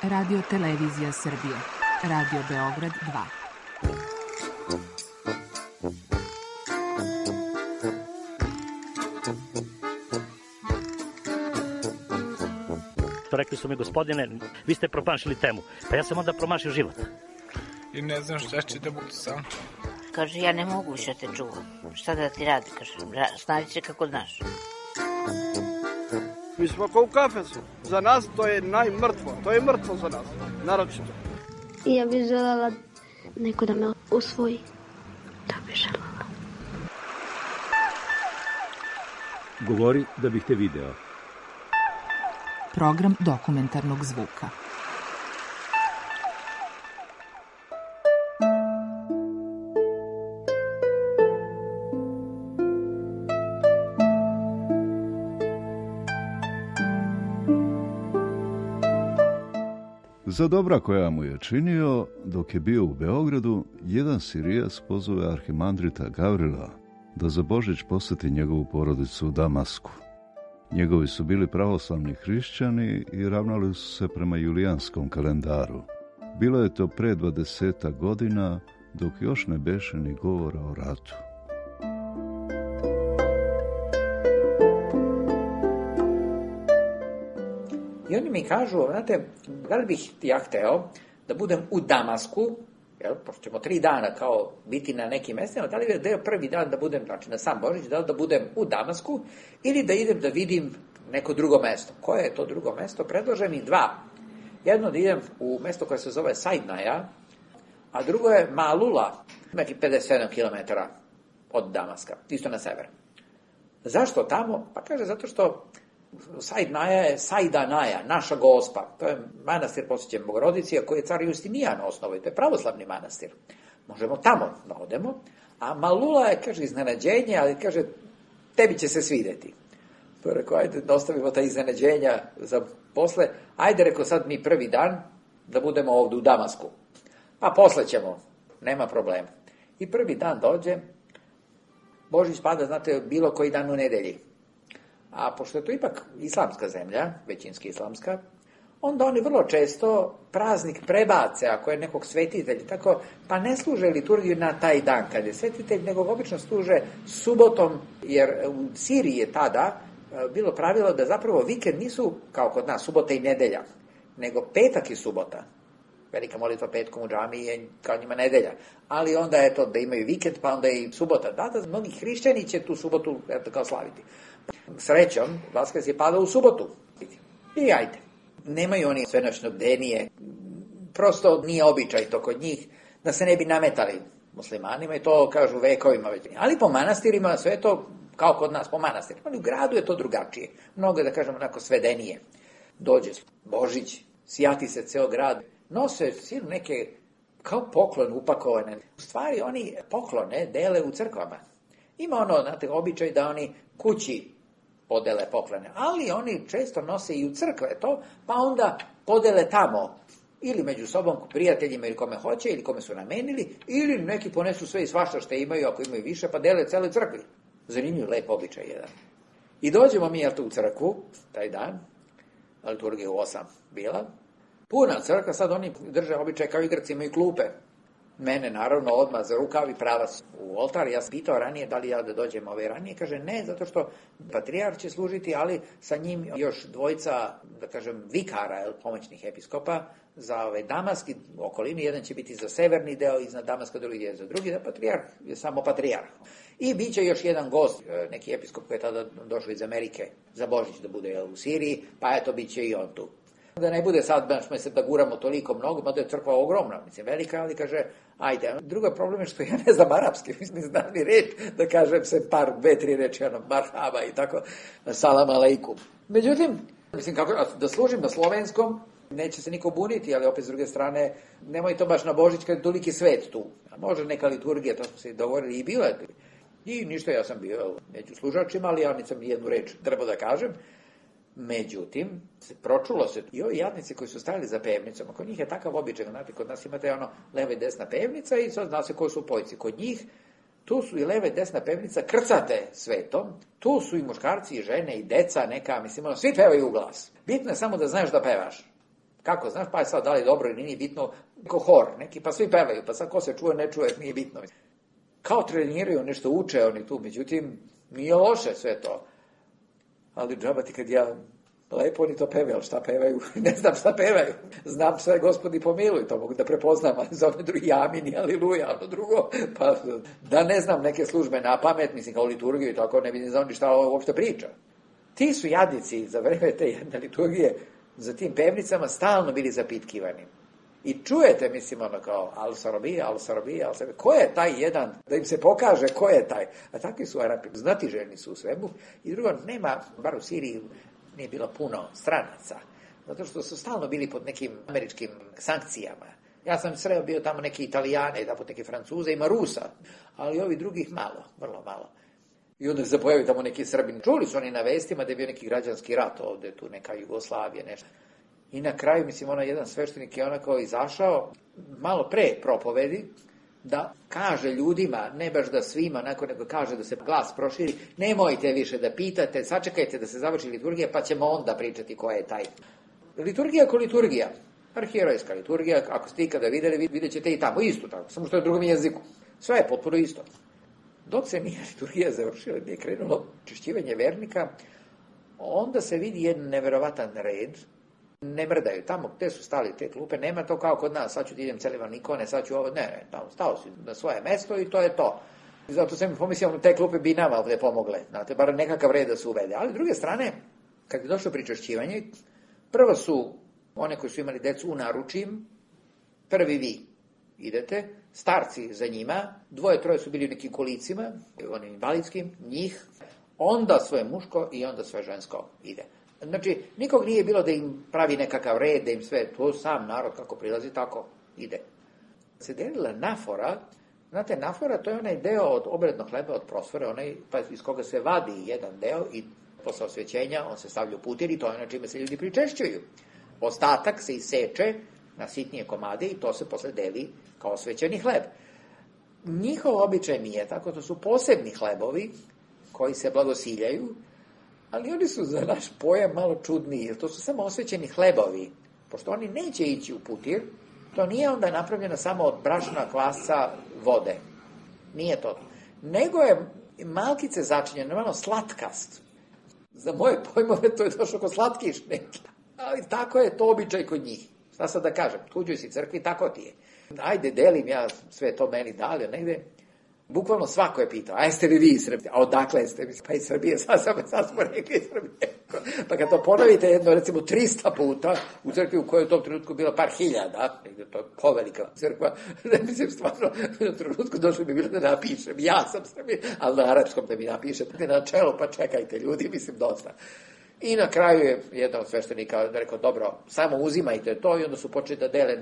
Radio Televizija Srbije. Radio Beograd 2. Rekli su mi, gospodine, vi ste promašili temu. Pa ja sam onda promašio život. I ne znam šta će da budu sam. Kaže, ja ne mogu više te čuvam. Šta da ti radi? Kaže, snađi se kako znaš. Mi smo kao u kafesu. Za nas to je najmrtvo. To je mrtvo za nas. Naročito. I ja bih želela neko da me usvoji. Da bih želela. Govori da bih te video. Program dokumentarnog zvuka. Za dobra koja mu je činio, dok je bio u Beogradu, jedan Sirijac pozove arhimandrita Gavrila da za Božić poseti njegovu porodicu u Damasku. Njegovi su bili pravoslavni hrišćani i ravnali su se prema julijanskom kalendaru. Bilo je to pre 20 godina, dok još ne beše ni govora o ratu. I oni mi kažu, znate, da li bih ja hteo da budem u Damasku, pošto ćemo 3 dana kao biti na nekim mestima, da li je deo prvi dan da budem, znači na sam Božić, da li da budem u Damasku ili da idem da vidim neko drugo mesto. Koje je to drugo mesto? Predlažem ih 2. Jedno da idem u mesto koje se zove Saidnaja, a drugo je Malula, neki 57 km od Damaska, isto na sever. Zašto tamo? Pa kaže, zato što Saidnaja je Saidanaja, naša gospa. To je manastir posvećen Bogorodici, koji je car Justinijan osnovao. To je pravoslavni manastir. Možemo tamo da odemo. A Malula je, kaže, iznenađenje, ali kaže, tebi će se svideti. To je rekao, ajde, ostavimo ta iznenađenja za posle. Ajde, rekao, sad mi prvi dan da budemo ovdje u Damasku. Pa posle ćemo, nema problema. I prvi dan dođe, Božić pada, znate, bilo koji dan u nedelji. A pošto je to ipak islamska zemlja, većinski islamska, onda oni vrlo često praznik prebace, ako je nekog svetitelja, tako, pa ne služe liturgiju na taj dan kad je svetitelj, nego obično služe subotom, jer u Siriji je tada bilo pravilo da zapravo vikend nisu, kao kod nas, subota i nedelja, nego petak i subota. Velika molitva petkom u džamiji je kao njima nedelja. Ali onda je to da imaju vikend, pa onda i subota. Da, mnogi hrišćani će tu subotu kao slaviti. Srećom, Vaskrs je padao u subotu. I ajde. Nemaju oni svenoćnog bdenije. Prosto nije običaj to kod njih da se ne bi nametali muslimanima i to kažu vekovima već. Ali po manastirima sve to kao kod nas, po manastirima. Ali u gradu je to drugačije. Mnogo, da kažemo, onako svedenije. Dođe Božić, sjati se ceo grad. Nose silu neke kao poklon upakovane. U stvari oni poklone dele u crkvama. Ima ono, znate, običaj da oni kući podele poklone, ali oni često nose i u crkve to, pa onda podele tamo, ili među sobom, prijateljima ili kome hoće, ili kome su namenili, ili neki ponesu sve i svašta što imaju, ako imaju više, pa dele cele crkvi. Zanimljiv, lep običaj jedan. I dođemo mi u crkvu, taj dan, liturgija u 8 bila, puna crkva, sad oni drže običaj kao igraci, imaju klupe. Mene, naravno, odmah za rukav i pravac u oltar. Ja sam pitao ranije da li ja da dođem ranije. Kaže, ne, zato što patrijarh će služiti, ali sa njim još 2, da kažem, vikara, pomoćnih episkopa za Damask i okolini. Jedan će biti za severni deo iznad Damaska, drugi je za drugi, da patrijarh je samo patrijarh. I bit će još jedan gost, neki episkop koji je tada došao iz Amerike za Božić da bude u Siriji, pa eto, bit će i on tu. Da ne bude sad, da guramo toliko mnogo, mada je crkva ogromna, velika, ali kaže, ajde. Drugo problem je što ja ne znam arapski, znam ni reč, da kažem se 2-3 reči, marhaba i tako, salam aleikum. Međutim, kako da služim na slovenskom, neće se niko buniti, ali opet s druge strane, nemoj to baš na Božić kad je toliki svet tu. A može neka liturgija, to smo se dogovorili i bila. I ništa, ja sam bio među služačima, ali ja nisam ni jednu reč trebao da kažem. Međutim, pročulo se i ovi jadnici koji su stajali za pevnicom, kod njih je takav običaj, znate, kod nas imate leva i desna pevnica i sad zna se koji su pojci. Kod njih, tu su i leva i desna pevnica krcate svetom, tu su i muškarci i žene i deca neka, svi pevaju u glas. Bitno je samo da znaš da pevaš. Kako, znaš, pa je sad da li dobro ili nije bitno, ko hor, neki, pa svi pevaju, pa sad ko se čuje, ne čuje, nije bitno. Kao treniraju, nešto uče oni tu, međutim, nije loše sve to. Ali džaba ti kad ja, lepo oni to pevaju, ali šta pevaju? Ne znam šta pevaju. Znam sve, Gospodi pomiluj, to mogu da prepoznam, ali za ove drugi amini, aliluja, ono drugo, pa da ne znam neke službe na pamet, mislim kao liturgiju i tako, ne bi ne znao ni šta ovo uopšte priča. Ti su jadnici za vreme te jedne liturgije za tim pevnicama stalno bili zapitkivani. I čujete, mislim, ono kao al-Sarabija, ko je taj jedan, da im se pokaže ko je taj. A takvi su Arapi, znatiželjni su u svemu. I drugo, nema, bar u Siriji, nije bilo puno stranaca. Zato što su stalno bili pod nekim američkim sankcijama. Ja sam sreo bio tamo neki Italijane, tamo neki Francuze, ima Rusa, ali ovi drugih malo, vrlo malo. I onda se pojavi tamo neki Srbin. Čuli su oni na vestima da je bio neki građanski rat ovde, tu neka Jugoslavija, nešto. I na kraju, mislim, jedan sveštenik je onako izašao, malo pre propovedi, da kaže ljudima, ne baš da svima, nego kaže da se glas proširi, nemojte više da pitate, sačekajte da se završi liturgija, pa ćemo onda pričati ko je taj. Liturgija ko liturgija, arhijerojska liturgija, ako ste ikada videli, vidjet ćete i tamo isto tako, samo što je u drugom jeziku. Sve je potpuno isto. Dok se nije liturgija završila, nije krenulo čišćivanje vernika, onda se vidi jedan neverovatan red, ne mrdaju. Tamo gde su stali te klupe, nema to kao kod nas, sad ću ti idem celivan ikone, sad ću ovo, ne, tamo stao si na svoje mesto i to je to. I zato sam mi pomislio, te klupe bi nama ovde pomogle, znate, bar nekakav red da se uvede. Ali s druge strane, kad je došlo pričešćivanje, prvo su one koji su imali decu u naručim, prvi vi idete, starci za njima, 2-3 su bili u nekim kolicima, onim invalidskim, njih, onda svoje muško i onda svoje žensko ide. Znači, nikog nije bilo da im pravi nekakav red, da im sve, to sam narod kako prilazi, tako ide. Se delila nafora, znate, nafora to je onaj deo od obrednog hleba, od prosfore, onaj pa iz koga se vadi jedan deo i posle osvećenja on se stavlja u putir i to je na čime se ljudi pričešćuju. Ostatak se iseče na sitnije komade i to se posle deli kao osvećeni hleb. Njihov običaj nije tako, to su posebni hlebovi koji se blagosiljaju, ali oni su za naš pojam malo čudniji, jer to su samo osvećeni hlebovi, pošto oni neće ići u putir, to nije onda napravljeno samo od brašna, kvasca, vode. Nije to. Nego je malkice začinjeno, malo slatkast. Za moje pojmove to je došlo ko slatkiš neki. Ali tako je to običaj kod njih. Šta sad da kažem, tuđoj si crkvi, tako ti je. Ajde, delim ja sve to meni dali, negde. Bukvalno svako je pitao, a jeste li vi iz Srbije? A odakle ste? Pa iz Srbije, sad smo rekli iz Srbije. Pa kad to ponovite jedno, recimo 300 puta u crkvi u kojoj je u tom trenutku bilo par hiljada, negde to je povelika crkva, ne mislim stvarno, u trenutku došlo bi bilo da napišem, ja sam Srbije, ali na arapskom da mi napišete na čelo, pa čekajte ljudi, mislim dosta. I na kraju je jedan od sveštenika rekao, dobro, samo uzimajte to i onda su počeli da dele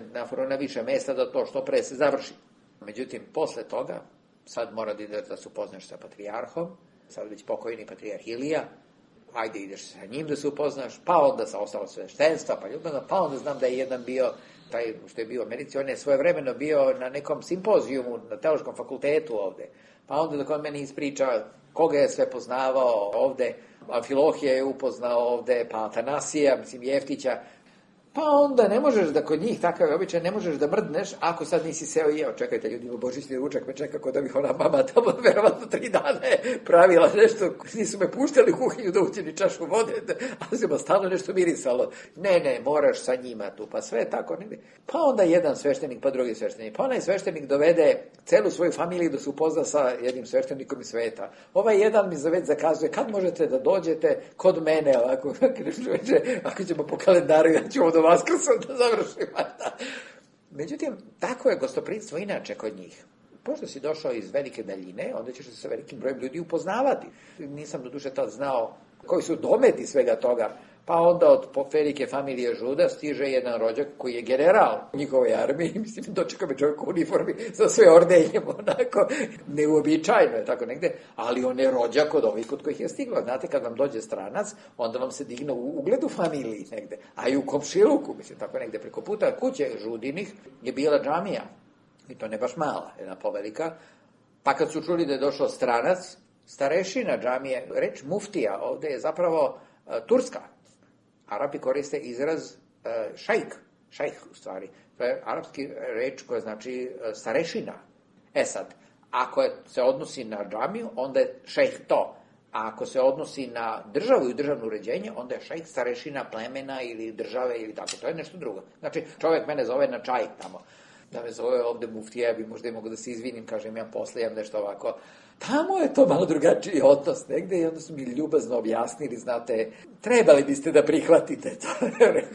na više mesta da to što pre se završi. Međutim, posle toga, sad mora da ideš da se upoznaš sa patrijarhom, sad već pokojni patrijarh Ilija, ajde ideš sa njim da se upoznaš, pa onda sa ostalo sveštenstva, pa onda znam da je jedan bio, taj što je bio u Americi, on je svojevremeno bio na nekom simpozijumu na Teološkom fakultetu ovde, pa onda dok on meni ispriča koga je sve poznavao ovde, Amfilohija je upoznao ovde, pa Atanasija, mislim Jeftića, pa onda ne možeš da kod njih takav je običaj, ne možeš da mrdneš ako sad nisi seo i jeo. Čekajte, ljudi, božićni ručak me čeka kod da bih ona mama tamo verovatno 3 dana je pravila nešto, nisu me puštali u kuhinju da uđe ni čašu vode, ali se ma stalno nešto mirisalo. Ne, moraš sa njima tu, pa sve tako. Ne. Pa onda jedan sveštenik, pa drugi sveštenik. Pa onaj sveštenik dovede celu svoju familiju da se upozna sa jednim sveštenikom iz sveta. Ovaj jedan mi već zakazuje, kad možete da dođete kod mene, ovako, ako ćemo po kalendaru, ja ću do Vaskrsa da završim. Međutim, tako je gostoprimstvo inače kod njih. Pošto si došao iz velike daljine, onda ćeš se sa velikim brojem ljudi upoznavati. Nisam do duše tad znao koji su dometi svega toga. Pa onda od velike familije Žuda stiže jedan rođak koji je general u njihovoj armiji. Mislim, dočeka me čovjek u uniformi sa sve ordenjem, onako, neuobičajno je tako negde, ali on je rođak od ovih kod kojih je stiglo. Znate, kad vam dođe stranac, onda vam se digne u ugledu familiji negde, a i u komšiluku, mislim, tako negde preko puta kuće Žudinih je bila džamija. I to ne baš mala, jedna povelika. Pa kad su čuli da je došao stranac, starešina džamije, reč muftija ovde je zapravo turska. Arapi koriste izraz šajk. šejh u stvari. To je arapski reč koja znači starešina. Sad, ako se odnosi na džamiju, onda je šejh to. A ako se odnosi na državu i državno uređenje, onda je šejh starešina plemena ili države ili tako. To je nešto drugo. Znači, čovjek mene zove na čaj tamo. Da me zove ovde muftija, bi možda i mogu da se izvinim, kažem ja posle, imam nešto ovako. Tamo je to malo drugačiji odnos negde i onda su mi ljubazno objasnili, znate, trebali biste da prihvatite to.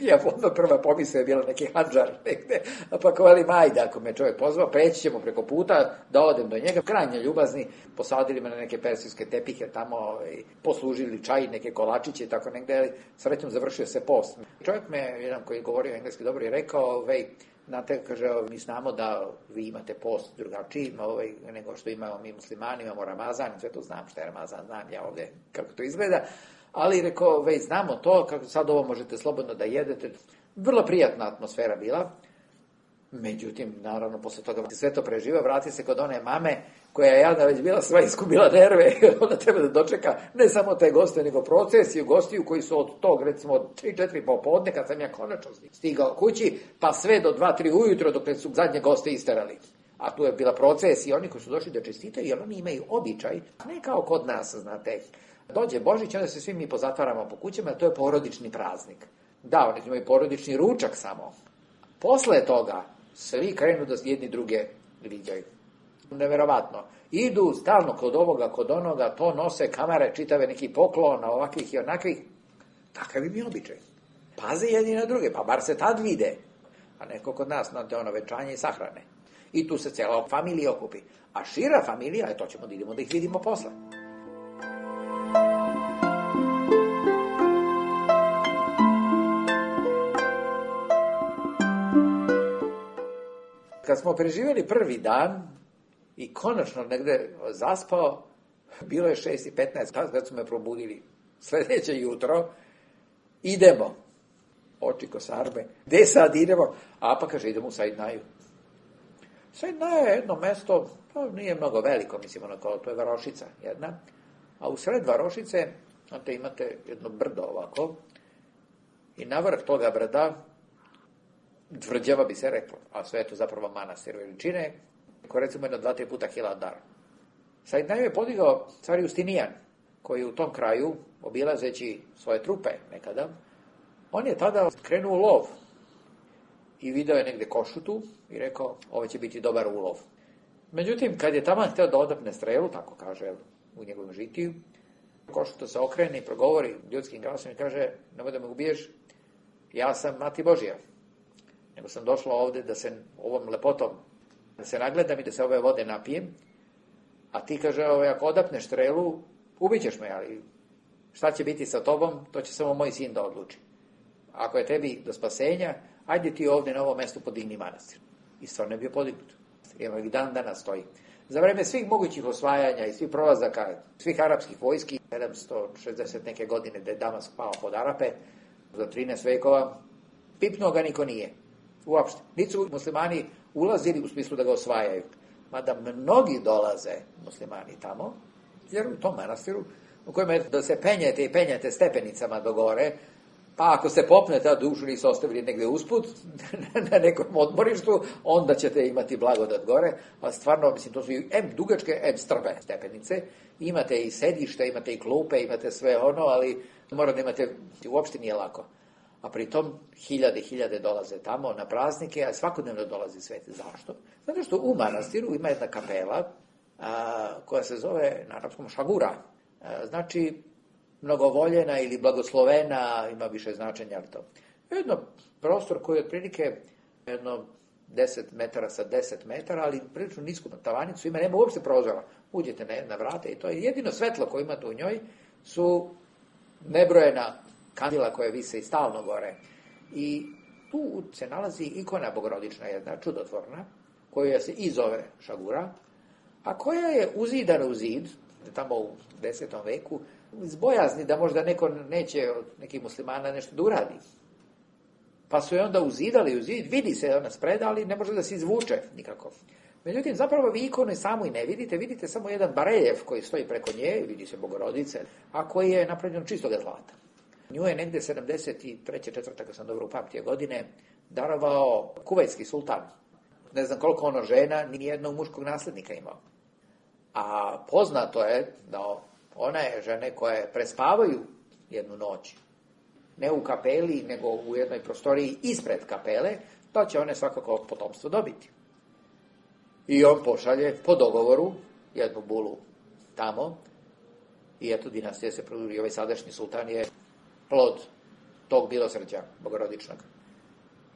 Ja onda prva pomisla je bila neki handžar negde, pa kovali majda, ako me čovjek pozvao, preći ćemo preko puta da odem do njega. Krajnje ljubazni, posadili me na neke persijske tepihe tamo, poslužili čaj, neke kolačiće i tako negde, srećom završio se post. Čovjek me, jedan koji govorio engleski dobro, je rekao, znate, kaže, mi znamo da vi imate post drugačiji nego što imamo mi muslimani, imamo Ramazan, sve to znam šta je Ramazan, znam ja ovde kako to izgleda, ali rekao, znamo to, kako sad ovo možete slobodno da jedete. Vrlo prijatna atmosfera bila, međutim, naravno, posle toga sve to preživa, vrati se kod one mame, koja je jadna već bila sva iskubila nerve, onda treba da dočeka ne samo te goste, nego procesiju gostiju koji su od tog, recimo, od 3-4 popodne, kad sam ja konačno stigao kući, pa sve do 2-3 ujutro, dok su zadnje goste isterali. A tu je bila procesija, oni koji su došli da čestitaju, jer oni imaju običaj, ne kao kod nas, znate, dođe Božić, onda se svi mi pozatvaramo po kućama, to je porodični praznik. Da, oni imaju porodični ručak samo. Posle toga, svi krenu da jedni druge viđaju. Neverovatno. Idu stalno kod ovoga, kod onoga, to nose kamere, čitave neki poklon, ovakvih i onakvih. Takav im je običaj. Paze jedni na druge, pa bar se tad vide. A neko kod nas, znate, venčanje i sahrane. I tu se cijela familija okupi. A šira familija, to ćemo da idemo da ih vidimo posle. Kad smo preživjeli prvi dan i konačno negde zaspao, bilo je 6:15, kad su me probudili sledeće jutro, idemo. Oči ko sarbe. Gde sad idemo? A pa kaže, idemo u Saidnaju. Saidnaja je jedno mesto, to nije mnogo veliko, mislim, to je varošica jedna, a u sred varošice imate jedno brdo ovako i na vrh toga brda tvrđava bi se reklo, a sve je to zapravo manastir veličine, koji recimo jedno 2-3 puta Hilandar. Saidnaju je podigao car Justinijan, koji u tom kraju, obilazeći svoje trupe nekada, on je tada krenuo u lov i video je negde košutu i rekao, ovo će biti dobar ulov. Međutim, kad je taman hteo da odapne strelu, tako kaže u njegovom žitiju, košuta se okrene i progovori ljudskim glasom i kaže, nemoj da me ubiješ, ja sam mati Božija. Nego sam došla ovde da se ovom lepotom da se nagledam i da se ove vode napijem, a ti, kaže, ako odapneš strelu, ubićeš me, ali šta će biti sa tobom, to će samo moj sin da odluči. Ako je tebi do spasenja, ajde ti ovde na ovom mestu podigni manastir. I stvarno je bio podignut. Evo i dan danas stoji. Za vreme svih mogućih osvajanja i svih prolazaka, svih arapskih vojski, 760 neke godine da je Damask pao pod Arape, do 13 vekova, pipnuo ga niko nije. Uopšte. Niti su muslimani ulazili u smislu da ga osvajaju. Mada mnogi dolaze muslimani tamo, jer u tom manastiru, u kojem je da se penjete i penjete stepenicama do gore, pa ako se popnete, a dušu nisu ostavili negde usput, na nekom odmorištu, onda ćete imati blagodat gore, a stvarno, mislim, to su i dugačke, strpe stepenice, imate i sedište, imate i klupe, imate sve ono, ali mora da imate, uopšte nije lako. A pritom hiljade dolaze tamo na praznike, a svakodnevno dolazi sveti. Zašto? Zato što u manastiru ima jedna kapela koja se zove na arapskom šagura. Znači, mnogovoljena ili blagoslovena, ima više značenja. Jedno prostor koji je otprilike jedno 10 metara sa 10 metara, ali prilično nisku tavanicu ima, nema uopšte prozora. Uđete na vrate i to je jedino svetlo koje imate u njoj su nebrojena kandila koje vise i stalno gore. I tu se nalazi ikona bogorodična, jedna čudotvorna, koja se i zove šagura, a koja je uzidana u zid, tamo u 10. veku, iz bojazni da možda neko neće od nekih muslimana nešto da uradi. Pa su je onda uzidali u zid, vidi se ona spreda, ali ne može da se izvuče nikako. Međutim, zapravo vi ikonu samu i ne vidite, vidite samo jedan bareljef koji stoji preko nje, vidi se bogorodice, a koji je napravljen čistog zlata. Nju je negde 73. 4. kad sam dobro upamtio godine, darovao kuvajtski sultan. Ne znam koliko ono žena, ni jednog muškog naslednika imao. A poznato je da one žene koje prespavaju jednu noć, ne u kapeli, nego u jednoj prostoriji ispred kapele, da će one svakako potomstvo dobiti. I on pošalje po dogovoru jednu bulu tamo i eto dinastija se produži. Ovaj sadašnji sultan je plod tog milosrđa bogorodičnog.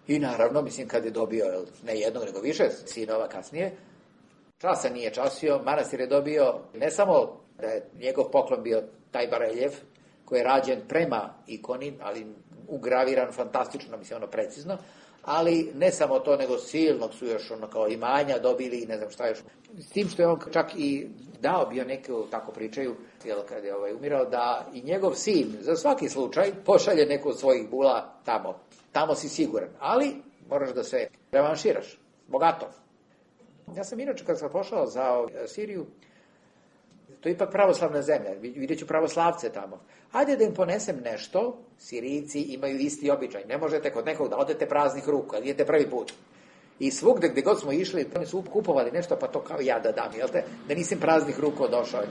I naravno, mislim, kad je dobio ne jednog, nego više sinova kasnije, časa nije časio, manastir je dobio ne samo da je njegov poklon bio taj bareljev, koji je rađen prema ikoni, ali ugraviran fantastično, mislim, ono precizno, ali ne samo to, nego silnog su još ono kao imanja dobili i ne znam šta još. S tim što je on čak i dao bio neku, tako pričaju, kad je umirao, da i njegov sin za svaki slučaj pošalje neku od svojih bula tamo. Tamo si siguran, ali moraš da se revanširaš, bogato. Ja sam inače kad sam pošao za Siriju, to je ipak pravoslavna zemlja, vidjet ću pravoslavce tamo. Ajde da im ponesem nešto, Sirijci imaju isti običaj. Ne možete kod nekog da odete praznih ruku, ali idete prvi put. I svugde gde god smo išli, oni su kupovali nešto, pa to kao ja da dam, jel te? Da nisam praznih ruku došao.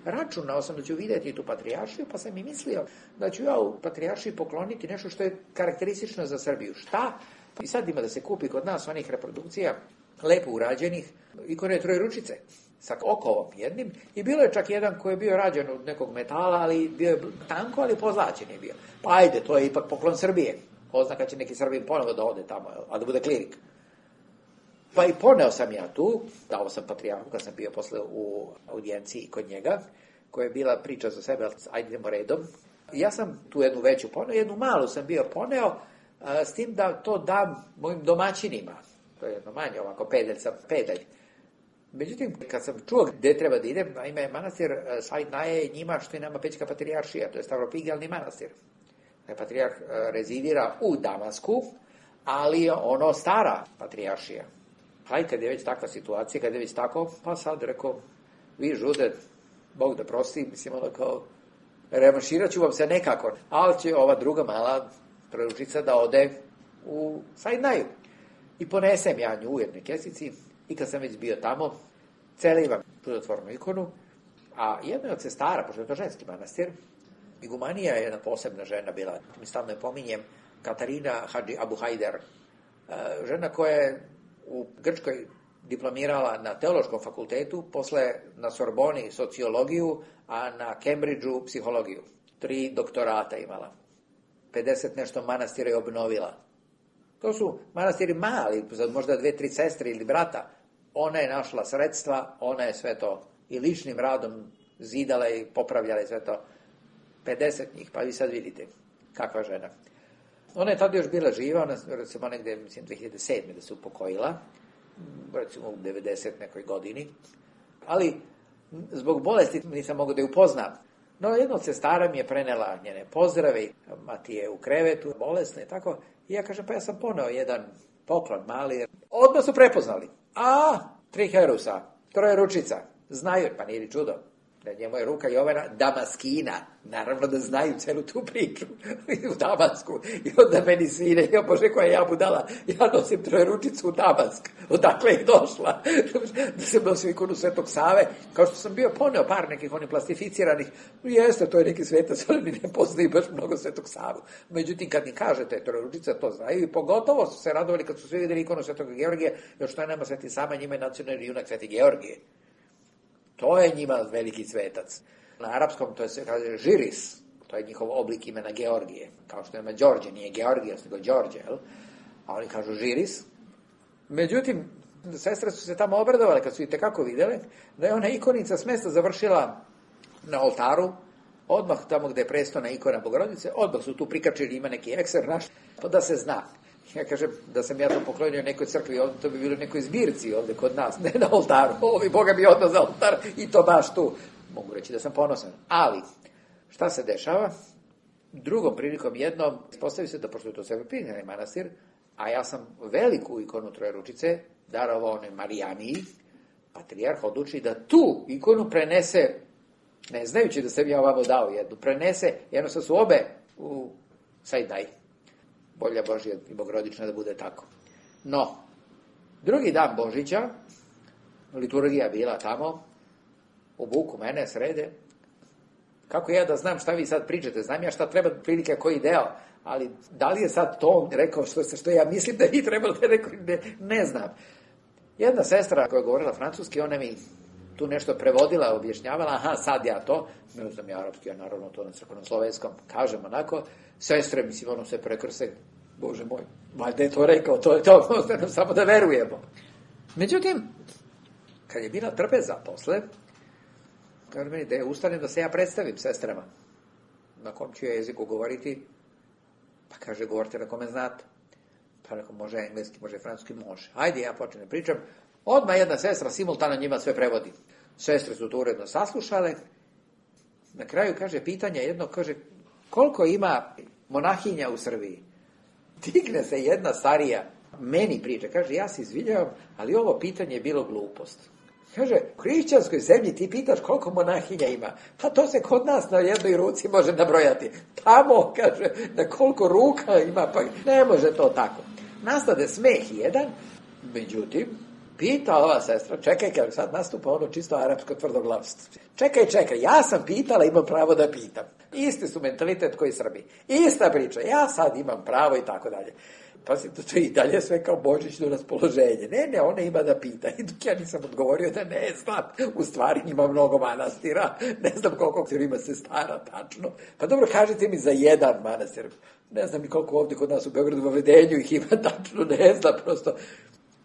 Računao sam da ću vidjeti tu patrijaršiju, pa sam i mislio da ću ja u patrijaršiji pokloniti nešto što je karakteristično za Srbiju. Šta? I sad ima da se kupi kod nas onih reprodukcija, lepo urađenih, ikone Trojeručice, sa okovom jednim. I bilo je čak jedan koji je bio rađen od nekog metala, ali bio je tanko, ali pozlaćen je bio. Pa ajde, to je ipak poklon Srbije. Oznaka će neki Srbin ponovo da ode tamo, a da bude klirik. Pa i poneo sam ja tu, dao sam patrijarhu kad sam bio posle u audijenciji kod njega, koja je bila priča za sebe, ajde idemo redom. Ja sam tu jednu veću poneo, jednu malu sam bio poneo, s tim da to dam mojim domaćinima. To je jedno manje, ovako pedalj. Međutim, kad sam čuo gde treba da idem, naime, manastir Said Naje je njima što je nama Pećka patrijaršija, to je Stavropigelni manastir. Patrijarh rezidira u Damasku, ali ono stara patrijaršija. Hajde, kad je već takva situacija, kad je već tako, pa sad rekao, vi žude, Bog da prosti, mislim, ono kao, revanširat ću vam se nekako, ali će ova druga mala Trojeručica da ode u Said Naju. I ponesem ja nju u jednoj kesici i kad sam već bio tamo, celivam čudotvornu ikonu, a jedna od sestara, pošto je to ženski manastir, igumanija je jedna posebna žena bila, mi stalno je pominjem, Katarina Hadži Abu Hajder, žena koja je u Grčkoj diplomirala na teološkom fakultetu, posle na Sorboni sociologiju, a na Cambridgeu psihologiju. 3 doktorata imala. 50 nešto manastira je obnovila. To su manastiri mali, možda 2-3 sestre ili brata. Ona je našla sredstva, ona je sve to i ličnim radom zidala i popravljala i sve to. 50 njih, pa vi sad vidite kakva žena. Ona je tada još bila živa, ona recimo negde, mislim, 2007. da se upokojila, recimo u 90 nekoj godini, ali zbog bolesti nisam mogao da je upoznam. No, jedna od sestara mi je prenela njene pozdrave, mati je u krevetu, bolesna i tako, i ja kažem, pa ja sam poneo jedan poklon mali, odmah su prepoznali. 3 Herusa, Trojeručica, znaju, pa nije li čudo, da njemu je ruka Jovana Damaskina, naravno da znaju celu tu priču u Damasku, i onda meni svine, ja Bože koja ja budala, ja nosim Trojeručicu u Damask, odakle je došla, da se nosim ikonu Svetog Save, kao što sam bio poneo par nekih onih plastificiranih, jeste, to je neki svetac, ali mi ne poznaju baš mnogo Svetog Savu. Međutim, kad mi kažete Trojeručica, to znaju, i pogotovo su se radovali kad su svi videli ikonu Svetog Georgija, još što je nama Sveti Sava, njima je nacionalni junak Sveti Georgije. To je njima veliki svetac. Na arapskom to se kaže Žiris, to je njihov oblik imena Georgije, kao što ima Đorđe, nije Georgijos, nego Đorđe, jel? A oni kažu Žiris. Međutim, sestre su se tamo obradovale kad su i tekako videle da je ona ikonica s mesta završila na oltaru, odmah tamo gde je prestona ikona Bogorodice, odmah su tu prikačili, ima neki ekser naš, pa da se zna. Ja kažem da sam ja to poklonio nekoj crkvi, to bi bilo nekoj zbirci ovde kod nas, ne na oltaru. Ovi Boga bi odmah za oltar i to baš tu. Mogu reći da sam ponosan. Ali, šta se dešava? Drugom prilikom jednom, ispostavi se da, pošto je to Stavropigelni manastir, a ja sam veliku ikonu Trojeručice darovao onoj Marijaniji, patrijarh odluči da tu ikonu prenese, ne znajući da sam ja ovamo dao jednu, prenese, jednostavno su obe u Sajdaj. Volja Božja i bogorodična da bude tako. No, drugi dan Božića, liturgija bila tamo, obuku mene, srede. Kako ja da znam šta vi sad pričate? Znam ja šta treba prilike koji deo, ali da li je sad to on rekao što ja mislim da vi trebalo da rekao, ne znam. Jedna sestra koja je govorila francuski, ona mi tu nešto prevodila, objašnjavala, aha, sad ja to, ne znam ja arapski, ja naravno to na crkveno-slovenskom, kažem onako, sestre, mislim, ono se prekrse, Bože moj, valjda je to rekao, to je to, ostanem samo da verujemo. Međutim, kad je bila trpeza posle, kaže meni da je ustanem da se ja predstavim sestrama, na kom ću ja jeziku govoriti, pa kaže, govorite na kome znate. Pa neko, može engleski, može francuski, može. Ajde, ja počnem pričam. Odmah jedna sestra simultano njima sve prevodi. Sestre su to uredno saslušale. Na kraju, kaže, pitanje jedno, kaže, koliko ima monahinja u Srbiji? Digne se jedna starija, meni priča, kaže, ja se izvinjavam, ali ovo pitanje je bilo glupost. Kaže, u hrišćanskoj zemlji ti pitaš koliko monahinja ima. Pa to se kod nas na jednoj ruci može nabrojati. Tamo, kaže, na koliko ruka ima, pa ne može to tako. Nastade smeh jedan, međutim, pita ova sestra, čekaj, kaže, sad nastupa ono čisto arapsko tvrdoglavstvo. Čekaj, ja sam pitala, imam pravo da pitam. Isti su mentalitet koji Srbi. Ista priča, ja sad imam pravo i tako dalje. Pa se to i dalje sve kao božićno raspoloženje. Ne, ona ima da pita. I dok ja nisam odgovorio da ne znam, u stvari ima mnogo manastira, ne znam koliko ima se stara tačno. Pa dobro, kažite mi za jedan manastir. Ne znam ni koliko ovdje kod nas u Beogradu u Vedenju ih ima tačno, ne znam, prosto.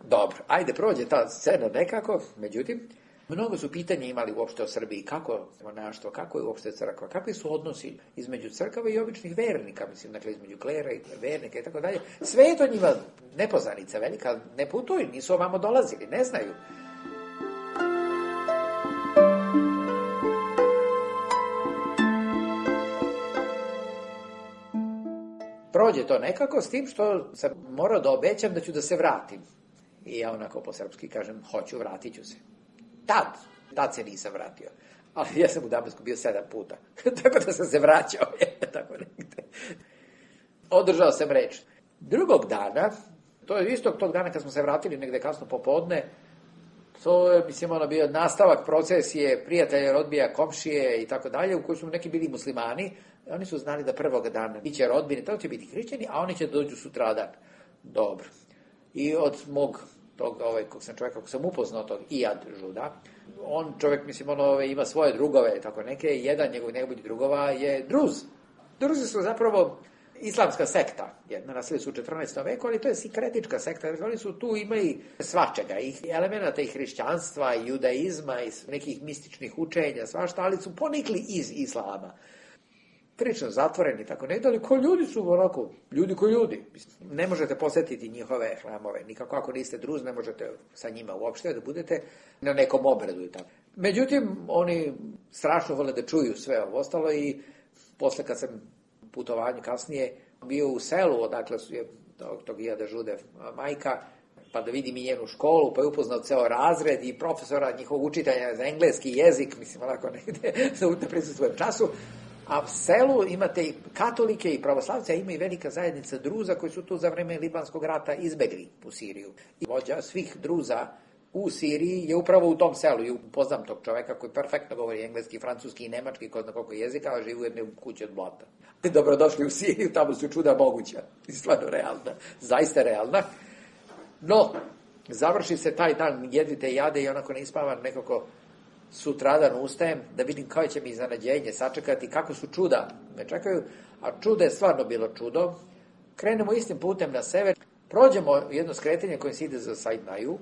Dobro, ajde, prođe ta scena nekako, međutim, mnogo su pitanja imali uopšte o Srbiji, kako monaštvo, kako je uopšte crkva, kakvi su odnosi između crkava i običnih vernika, mislim, dakle, između klera i vernika i tako dalje. Sve je to njima nepoznanica velika, ne putuju, nisu ovamo dolazili, ne znaju. Prođe to nekako s tim što sam morao da obećam da ću da se vratim. I ja onako po srpski kažem, hoću, vratit ću se. Tad se nisam vratio. Ali ja sam u Damasku bio 7 puta. Tako da sam se vraćao. Tako negde. Održao sam reč. Drugog dana, to je istog tog dana kad smo se vratili negde kasno popodne, to je, mislim, ono bio nastavak procesije prijatelja, rodbija, komšije i tako dalje, u kojoj su neki bili muslimani. Oni su znali da prvog dana biće rodbine, to će biti hrišćani, a oni će dođu sutradan. Dobro. I od mog čovjeka kog sam upoznao, tog Ijad Žuda, on čovjek, mislim, ima svoje drugove, tako neke, jedan njegovih drugova je Druz. Druzi su zapravo islamska sekta, jedna nasili su u 14. veku, ali to je sikretička sekta, oni su tu imali svačega, i elemenata i hrišćanstva, i judaizma, i nekih mističnih učenja, svašta, ali su ponikli iz islama. Prilično zatvoreni, tako ne, ali ko ljudi su onako, ljudi ko ljudi. Ne možete posjetiti njihove hramove, nikako ako niste Druz, ne možete sa njima uopšte da budete na nekom obredu i tako. Međutim, oni strašno vole da čuju sve ovo ostalo i posle kad sam putovanju kasnije bio u selu, odakle su je tog Ijada Žude majka, pa da vidim i njenu školu, pa je upoznao ceo razred i profesora njihovog učitelja za engleski jezik, mislim onako negde da prisustvujem času. A u selu imate i katolike i pravoslavce, a ima i velika zajednica Druza koji su tu za vreme Libanskog rata izbegli u Siriju. I vođa svih Druza u Siriji je upravo u tom selu. I upoznam tog čoveka koji perfektno govori engleski, francuski i nemački, ko zna koliko jezika, a živi u jednoj kući od blata. Dobrodošli u Siriju, tamo su čuda moguća. I stvarno realna, zaista realna. No, završi se taj dan jedvite jade i onako ne ispavam nekako. Sutradan ustajem da vidim koje će mi iznenađenje sačekati, kako su čuda me čekaju, a čudo je stvarno bilo čudo. Krenemo istim putem na sever, prođemo jedno skretanje koje se ide za Sajdnaju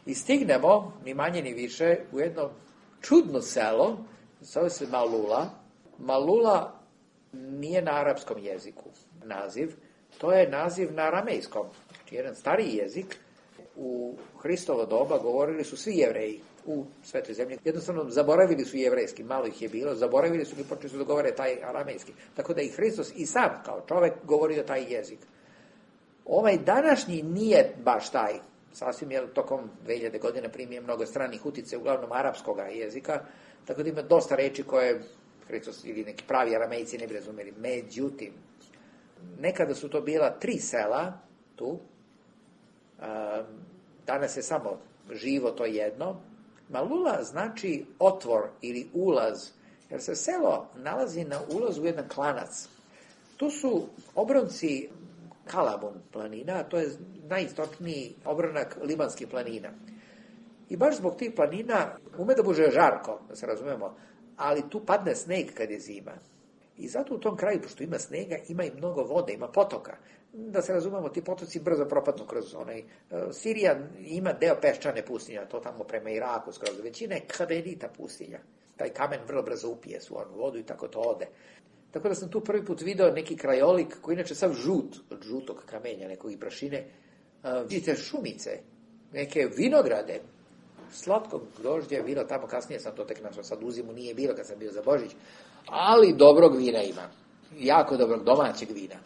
i stignemo, ni manje ni više, u jedno čudno selo, zove se Malula. Malula nije na arapskom jeziku naziv, to je naziv na aramejskom, znači jedan stariji jezik. U Hristovo doba govorili su svi Jevreji u svetoj zemlji. Jednostavno zaboravili su jevrejski, malo ih je bilo, zaboravili su i počeli su da govore taj aramejski. Tako da i Hristos i sam kao čovek govorio taj jezik. Ovaj današnji nije baš taj. Sasvim je tokom 2000 godina primio mnogo stranih utice, uglavnom arapskog jezika, tako da ima dosta reči koje Hristos ili neki pravi aramejci ne bi razumeli. Međutim, nekada su to bila 3 sela tu, danas je samo živo to jedno. Malula znači otvor ili ulaz, jer se selo nalazi na ulazu u jedan klanac. Tu su obronci Kalabun planina, to je najistočniji obronak libanskih planina. I baš zbog tih planina ume da bude žarko, da se razumemo, ali tu padne sneg kad je zima. I zato u tom kraju, pošto ima snega, ima i mnogo vode, ima potoka. Da se razumemo, ti potoci brzo propadnu kroz onaj... Sirija ima deo peščane pustinja, to tamo prema Iraku skroz. Većina je kamenita pustinja. Taj kamen vrlo brzo upije svu onu vodu i tako to ode. Tako da sam tu prvi put video neki krajolik koji inače sav žut, od žutog kamenja, nekog i prašine. Vidite šumice, neke vinograde, slatkog grožđa je bilo tamo, kasnije sam to tek našao, sad u zimu nije bilo kad sam bio za Božić, ali dobrog vina ima, jako dobrog domaćeg vina.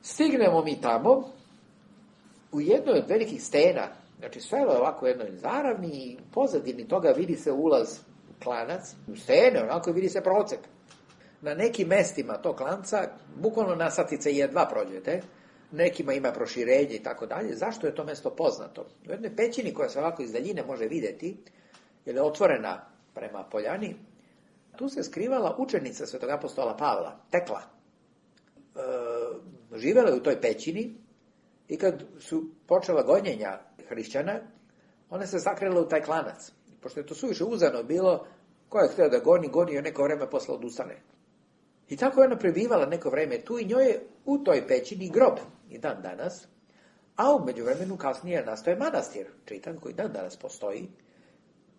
Stignemo mi tamo, u jednoj od velikih stena, znači selo je ovako u jednoj zaravni i pozadini toga vidi se ulaz u klanac, u stene, onako vidi se procep. Na nekim mestima tog klanca, bukvalno na satice jedva prođete, nekima ima proširenje i tako dalje. Zašto je to mesto poznato? U jednoj pećini koja se ovako iz daljine može videti, jer je otvorena prema poljani, tu se skrivala učenica svetog apostola Pavla, Tekla. Živela je u toj pećini i kad su počela gonjenja hrišćana, ona se sakrila u taj klanac. Pošto je to suviše uzano bilo, ko je htio da goni je neko vreme posle odustane. I tako je ona prebivala neko vreme tu i njoj je u toj pećini grob i dan danas, a u međuvremenu kasnije nastoje manastir, čitan, koji dan danas postoji.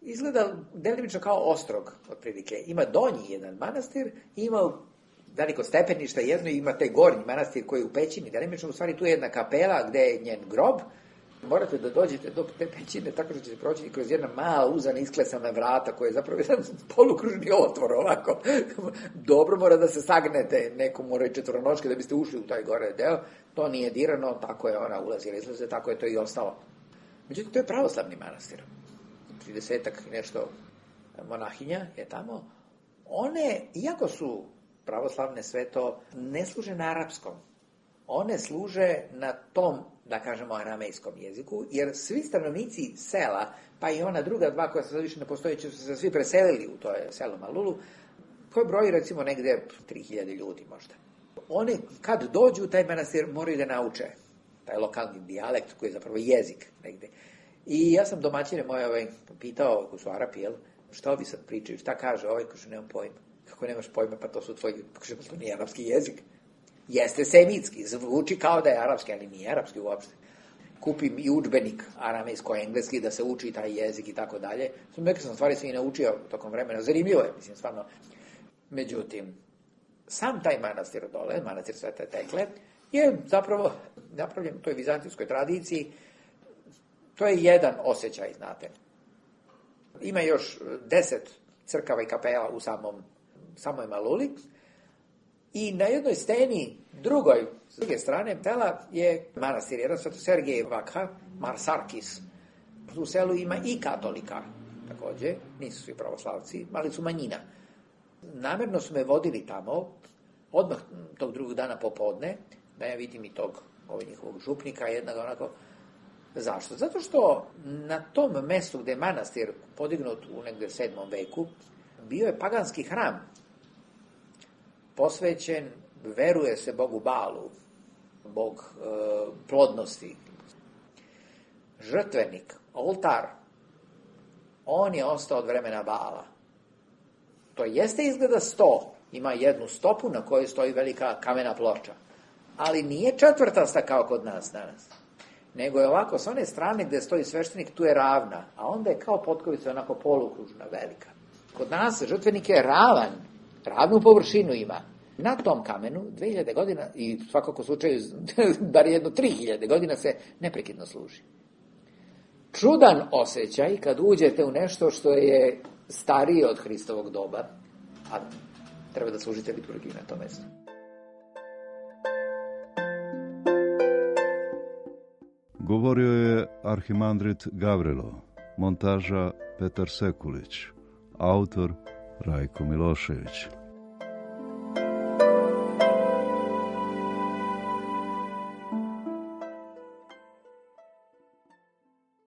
Izgleda delimično kao ostrog, otprilike. Ima donji jedan manastir, ima veliko stepenište jedno i ima taj gornji manastir koji je u pećini, delimično u stvari tu je jedna kapela gde je njen grob. Morate da dođete do te pećine tako da ćete proći kroz jedna mala uzana isklesana vrata koja je zapravo jedan polukružni otvor ovako. Dobro mora da se sagnete, neko mora i četvoronoške da biste ušli u taj gore deo. To nije dirano, tako je ona ulazila, izlaze, tako je to i ostalo. Međutim, to je pravoslavni manastir. 30-ak nešto monahinja je tamo. One, iako su pravoslavne sve to, ne služe na arapskom. One služe na tom, da kažemo, aramejskom jeziku, jer svi stanovnici sela, pa i ona druga dva koja se sad više ne postoji, su se svi preselili u to selo Malulu, koje broji recimo negde 3000 ljudi možda. One kad dođu u taj manastir moraju da nauče taj lokalni dijalekt koji je zapravo jezik negde. I ja sam domaćine moje pitao, ako su Arapi, šta ovi sad pričaju, šta kaže ovaj, kaže nemam pojma. Kako nemaš pojma, pa to su tvoji, kaže, to nije arapski jezik. Jeste semitski, zvuči kao da je arapski, ali nije arapski uopšte. Kupim i udžbenik aramejsko-engleski da se uči taj jezik i tako dalje. Neke sam stvari sve i naučio tokom vremena. Zanimljivo je, mislim, stvarno. Međutim, sam taj manastir dole, manastir Svete Tekle, je zapravo napravljen u toj vizantijskoj tradiciji. To je jedan osjećaj, znate. Ima još 10 crkava i kapela u samoj Maluli. I na jednoj steni, drugoj, s druge strane sela je manastir, jedan Sveto Sergej Vakha, Marsarkis. U selu ima i katolika, takođe, nisu svi pravoslavci, ali su manjina. Namerno su me vodili tamo, odmah tog drugog dana popodne, da ja vidim i tog njihovog župnika, jednog onako. Zašto? Zato što na tom mestu gde je manastir podignut u negde 7. veku, bio je paganski hram, posvećen, veruje se Bogu Balu, Bog plodnosti. Žrtvenik, oltar, on je ostao od vremena Bala. To jeste izgleda 100, ima jednu stopu na kojoj stoji velika kamena ploča, ali nije četvrtasta kao kod nas danas, nego je ovako, s one strane gde stoji sveštenik, tu je ravna, a onda je kao potkovica onako polukružna, velika. Kod nas žrtvenik je ravan, ravnu površinu ima. Na tom kamenu 2000 godina, i svakako slučaju bar jedno 3000 godina se neprekidno služi. Čudan osjećaj kad uđete u nešto što je starije od Hristovog doba, a treba da služite liturgiju na tom mestu. Govorio je arhimandrit Gavrilo, montaža Petar Sekulić, autor Rajko Milošević.